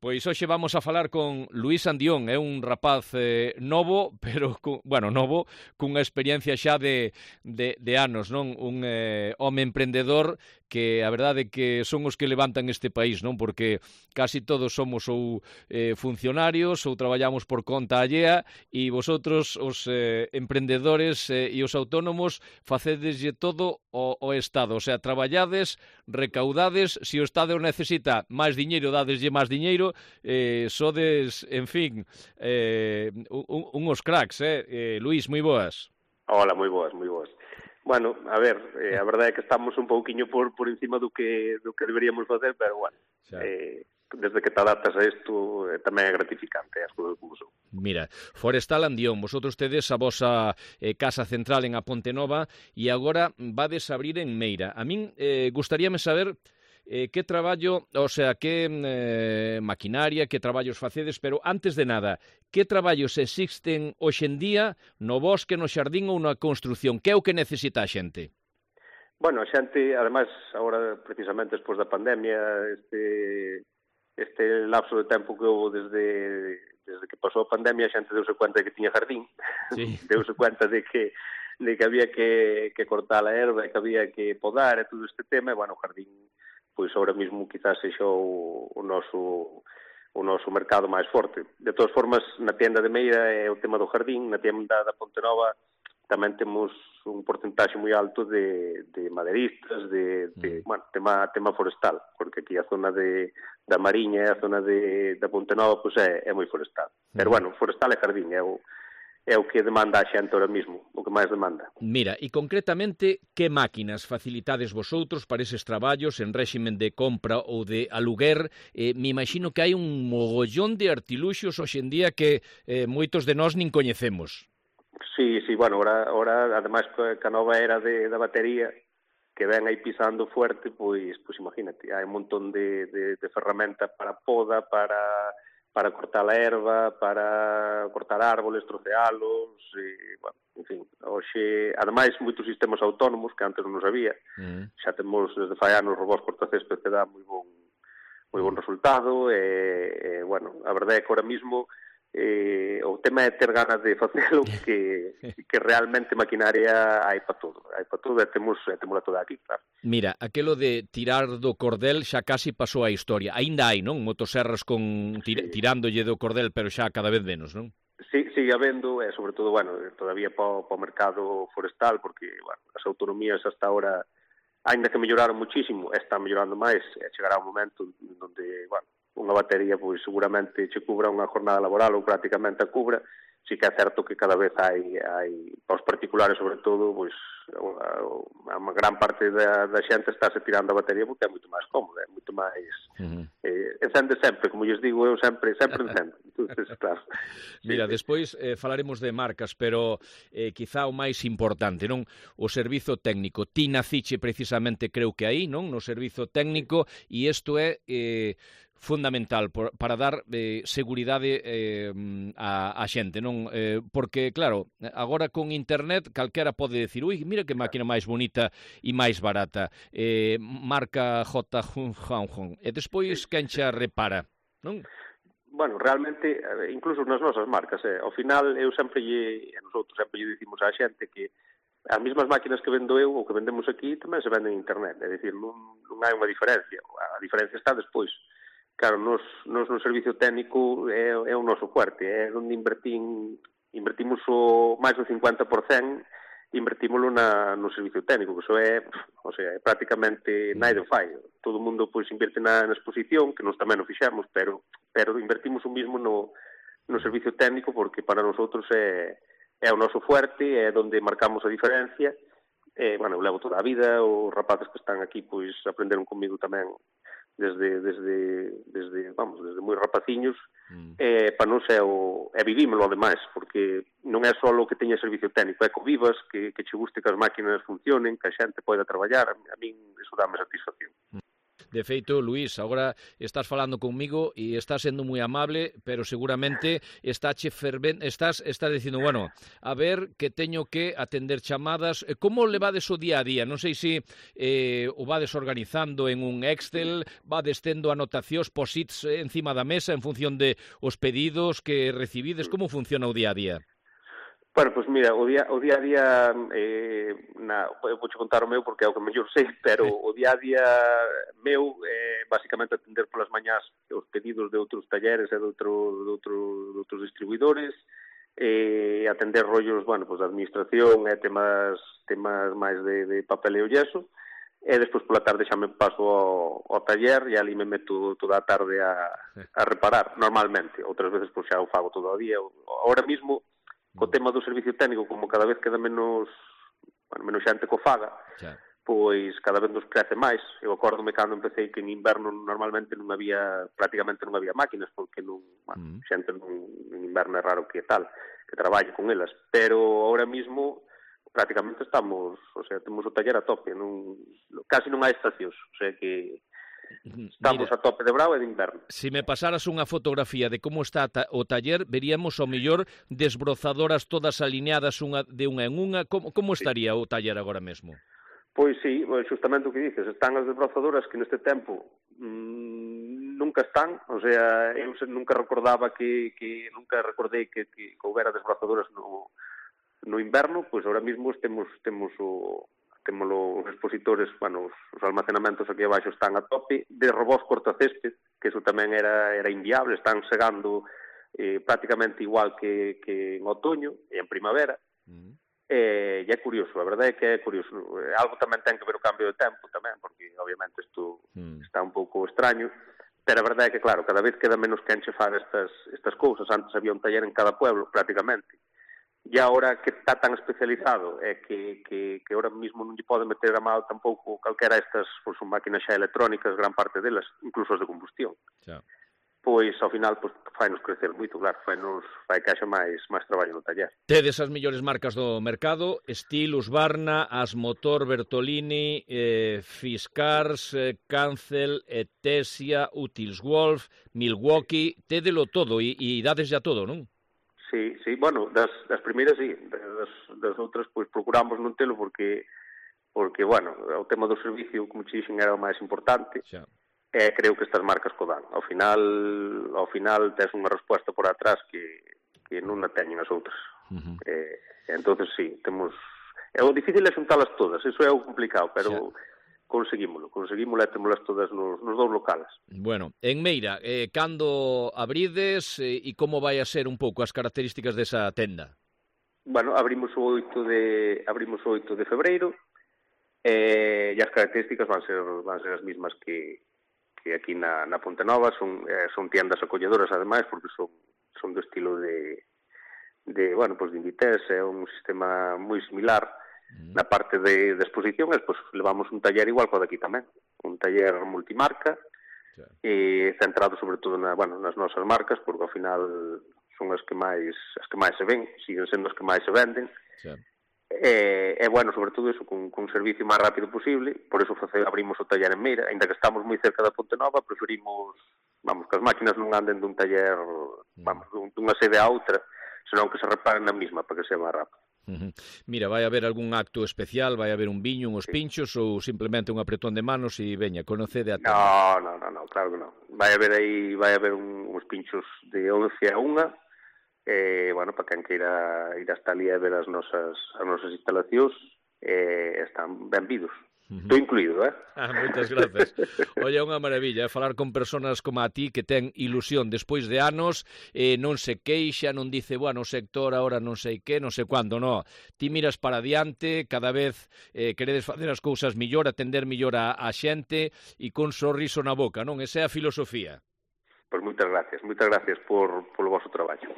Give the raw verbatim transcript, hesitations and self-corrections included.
Pois hoxe vamos a falar con Luís Andión, é un rapaz eh, novo, pero, cu, bueno, novo, cunha experiencia xa de, de, de anos, non? Un eh, home emprendedor que a verdade é que son os que levantan este país, non? Porque casi todos somos ou eh, funcionarios ou traballamos por conta allea e vosotros, os eh, emprendedores eh, e os autónomos, facedeslle todo o, o Estado, o sea, traballades, recaudades, se o Estado necesita máis diñeiro, dadeslle máis diñeiro, eh, sodes, en fin, eh, un, unhos cracks, eh? eh? Luís, moi boas. Hola, moi boas, moi boas. Bueno, a ver, eh, a verdade é que estamos un pouquiño por, por encima do que, do que deberíamos facer, pero, bueno, eh, desde que te adaptas a isto eh, tamén é gratificante, as cousas como son. Mira, Forestal Andión, vosotros tedes a vosa eh, casa central en A Ponte Nova e agora vades a abrir en Meira. A min eh, gustaríame saber eh, que traballo, o sea, que eh, maquinaria, que traballos facedes, pero antes de nada, que traballos existen hoxe en día no bosque, no xardín ou na construción? Que é o que necesita a xente? Bueno, a xente, ademais, agora, precisamente, despois da pandemia, este, este lapso de tempo que houve desde, desde que pasou a pandemia, a xente deuse cuenta de que tiña jardín, sí. deuse cuenta de que de que había que, que cortar a erva, que había que podar e todo este tema, e, bueno, o jardín, pois ahora mesmo quizás sexa o, o noso o noso mercado máis forte. De todas formas, na tienda de Meira é o tema do jardín, na tienda da Ponte Nova tamén temos un porcentaxe moi alto de, de maderistas, de, de mm. bueno, tema, tema forestal, porque aquí a zona de, da Mariña e a zona de, da Ponte Nova pois é, é moi forestal. Mm. Pero, bueno, forestal e jardín é o é o que demanda a xente ahora mesmo, o que máis demanda. Mira, e concretamente, que máquinas facilitades vosotros para eses traballos en réximen de compra ou de aluguer? Eh, me imagino que hai un mogollón de artiluxos hoxe en día que eh, moitos de nós nin coñecemos. Sí, sí, bueno, ahora, ahora ademais que a nova era de, da batería, que ven aí pisando fuerte, pois, pois imagínate, hai un montón de, de, de ferramenta para poda, para... para cortar a erva, para cortar árboles, trocealos, e, bueno, en fin, hoxe, ademais, moitos sistemas autónomos que antes non nos había, mm. xa temos desde fai anos robós cortacésped que dá moi bon, moi bon resultado, e, e, bueno, a verdade é que ahora mismo eh, o tema é ter ganas de facelo, que, que realmente maquinaria hai para todo, hai para todo, e temos, e temos toda aquí, claro. Mira, aquelo de tirar do cordel xa casi pasou a historia. Aínda hai, non? Motoserras con tir sí. tirándolle do cordel, pero xa cada vez menos, non? Sí, sigue habendo, e sobre todo, bueno, todavía para o mercado forestal, porque, bueno, as autonomías hasta ahora, aínda que melloraron muchísimo, están mellorando máis, e chegará un momento onde, bueno, unha batería, pois seguramente che cubra unha jornada laboral ou prácticamente a cubra. Sí que é certo que cada vez hai, hai para os particulares, sobre todo, pois a, a, a gran parte da, da xente está se tirando a batería porque é moito máis cómoda, é moito máis uh-huh. eh, encende sempre, como lles digo eu, sempre sempre encende. Entonces, claro. Mira, sí, despois eh, falaremos de marcas, pero eh, quizá o máis importante, non? O servizo técnico. Ti naciche precisamente, creo que aí, non? No servizo técnico, e isto é eh, fundamental por, para dar eh, seguridade eh, a, a xente, non? Eh, porque, claro, agora con internet calquera pode decir, ui, mira que máquina máis bonita e máis barata, eh, marca J. Hong, e despois quen xa repara, non? Bueno, realmente, incluso nas nosas marcas, eh, ao final eu sempre lle, e nosotros sempre lle dicimos á xente que as mesmas máquinas que vendo eu ou que vendemos aquí tamén se venden en internet, é dicir, non, non hai unha diferencia, a diferencia está despois. Claro, nos, nos no servicio técnico é, é o noso fuerte, é onde invertín, invertimos o máis do cincuenta por cento, invertímoslo na, no servicio técnico, que iso é, o sea, é prácticamente naide fai. Todo o mundo pois invierte na, na exposición, que nos tamén o fixemos, pero pero invertimos o mismo no, no servicio técnico porque para nosotros é, é o noso fuerte, é onde marcamos a diferencia. E, bueno, eu levo toda a vida, os rapaces que están aquí pois aprenderon comigo tamén desde desde desde vamos, desde moi rapaciños, mm. eh, para non ser o é vivímolo ademais, porque non é só o que teña servicio técnico, é que vivas, que, que che guste que as máquinas funcionen, que a xente poida traballar, a, a min iso dame satisfacción. De feito, Luís, agora estás falando conmigo e estás sendo moi amable, pero seguramente estáche fervente, estás, estás dicindo, bueno, a ver que teño que atender chamadas. Como levades o día a día? Non sei se eh, o vades organizando en un Excel, vades tendo anotacións, posits encima da mesa en función de os pedidos que recibides. Como funciona o día a día? Bueno, pois pues mira, o día, o día a día, eh, na, eu vou contar o meu porque é o que mellor sei, pero o día a día meu é eh, basicamente atender polas mañás os pedidos de outros talleres e de, outro, de, outro, de outros distribuidores, e eh, atender rollos, bueno, pues, de administración e temas, temas máis de, de papel e o yeso, e despois pola tarde xa me paso ao, ao taller e ali me meto toda a tarde a, a reparar, normalmente. Outras veces pois, xa o fago todo o día. Ahora mismo, co tema do servicio técnico, como cada vez queda menos, bueno, menos xente co faga, xa. Pois cada vez nos crece máis. Eu acórdome cando empecé que en inverno normalmente non había, prácticamente non había máquinas, porque non, bueno, mm. xente non, en inverno é raro que tal, que traballe con elas, pero ahora mismo prácticamente estamos, o sea, temos o taller a tope, non, casi non hai estacións, o sea que estamos Mira, a tope de brao e de inverno. Se me pasaras unha fotografía de como está o taller, veríamos ao mellor desbrozadoras todas alineadas unha de unha en unha. Como, como estaría sí. o taller agora mesmo? Pois sí, justamente o que dices, están as desbrozadoras que neste tempo mmm, nunca están, o sea, eu nunca recordaba que, que nunca recordei que, que, que houbera desbrozadoras no, no inverno, pois ahora mesmo temos, temos o temos os expositores, bueno, os, os almacenamentos aquí abaixo están a tope, de robós cortacésped, que eso tamén era, era inviable, están segando eh, prácticamente igual que, que en outoño e en primavera, mm. e, e é curioso, a verdade é que é curioso. Algo tamén ten que ver o cambio de tempo tamén, porque obviamente isto mm. está un pouco extraño, pero a verdade é que, claro, cada vez queda menos que enchefar estas, estas cousas. Antes había un taller en cada pueblo, prácticamente. E agora que está tan especializado é que, que, que ahora mismo non lle pode meter a mal tampouco calquera estas, pois, son máquinas xa electrónicas, gran parte delas, incluso as de combustión. Xa. Pois, ao final, pois, fai-nos crecer moito, claro, fai-nos, fai que haxa máis, máis traballo no taller. Tedes as mellores marcas do mercado, Stihl, Husqvarna, Asmotor, Bertolini, eh, Fiskars, eh, Cancel, Etesia, Utilswolf, Milwaukee, tédelo todo e, e dades ya todo, non? Sí, sí, bueno, das, das primeiras sí, das, das outras pois procuramos non telo porque, porque bueno, o tema do servicio, como te dixen, era o máis importante, xa. E creo que estas marcas co dan. Ao final, ao final tes unha resposta por atrás que, que non a teñen as outras. Uh-huh. E, entonces sí, temos... É o difícil é xuntalas todas, iso é o complicado, pero... Xa. Conseguímolo, conseguímolo e temolas todas nos, nos dous locales. Bueno, en Meira, eh, cando abrides eh, e como vai a ser un pouco as características desa tenda? Bueno, abrimos o oito de abrimos o oito de febreiro eh, e as características van ser van ser as mismas que, que aquí na, na Ponte Nova, son, eh, son tiendas acolledoras ademais porque son, son do estilo de, de bueno, pues de Inditex, é un sistema moi similar. Na parte de, de exposición, pues, levamos un taller igual que o daqui tamén, un taller multimarca, sí. E centrado sobre todo na, bueno, nas nosas marcas, porque ao final son as que máis as que máis se ven, siguen sendo as que máis se venden, sí. E, e bueno, sobre todo eso, con, con un servicio máis rápido posible, por eso abrimos o taller en Meira, ainda que estamos moi cerca da Ponte Nova, preferimos, vamos, que as máquinas non anden dun taller, vamos, dunha sede a outra, senón que se reparen na mesma para que sea máis rápido. Uh-huh. Mira, vai haber algún acto especial, vai haber un viño, uns pinchos ou simplemente un apretón de manos e veña, conocede a todos? No, no, no, no, claro que non. Vai haber aí, vai haber un, uns pinchos de once a unha, e, bueno, para quen queira ir hasta ali a ver as nosas, as nosas instalacións, eh, están benvidos. Estou incluído, eh? Ah, moitas grazas. Oye, é unha maravilla, eh? Falar con persoas como a ti que ten ilusión despois de anos, eh, non se queixa, non dice, bueno, o sector agora non sei que, non sei cuándo, non. Ti miras para adiante, cada vez eh, queredes facer as cousas millor, atender millor a, a xente e con sorriso na boca, non? Esa é a filosofía. Pois moitas gracias, moitas gracias por, polo vosso traballo.